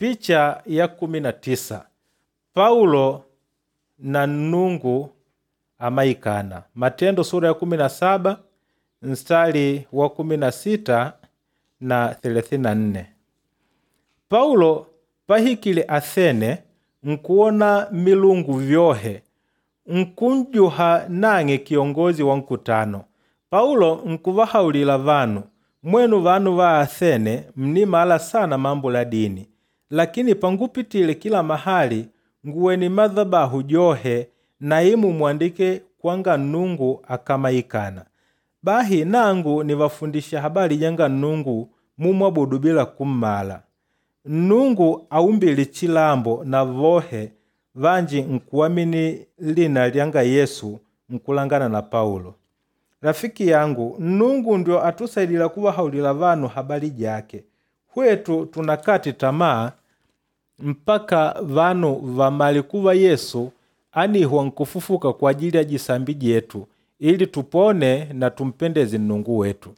Picha ya 19 Paulo na Nnungu amaikana. Matendo sura ya 17 mstari wa 16 na 34. Paulo pahikile Athene nkuwona milungu vyohe nkunjuha nang'e kiongozi wa nkutano. Paulo nkuvahaulila vanu, mwenu vanu va Athene mnimala sana mambo la dini, lakini pangupitile kila mahali nguwene madhabahu johe na imu mwandike kwanga Nnungu akamaikana. Bahi nangu nivafundisha habali janga Nnungu mumwabudu bila kummala. Nnungu aumbile chilambo na vohe vanji nkuamini lina lyanga Yesu nkulangana na Paulo. Rafiki yangu, Nnungu ndio atusaidila kuvahaulila vanu habali jake. Hwetu tunakati tamaa mpaka vanu vamale kuva Yesu anihwa nkufufuka kwa ajili ya jisambi jetu ili tupone na tumpendeze Nnungu wetu.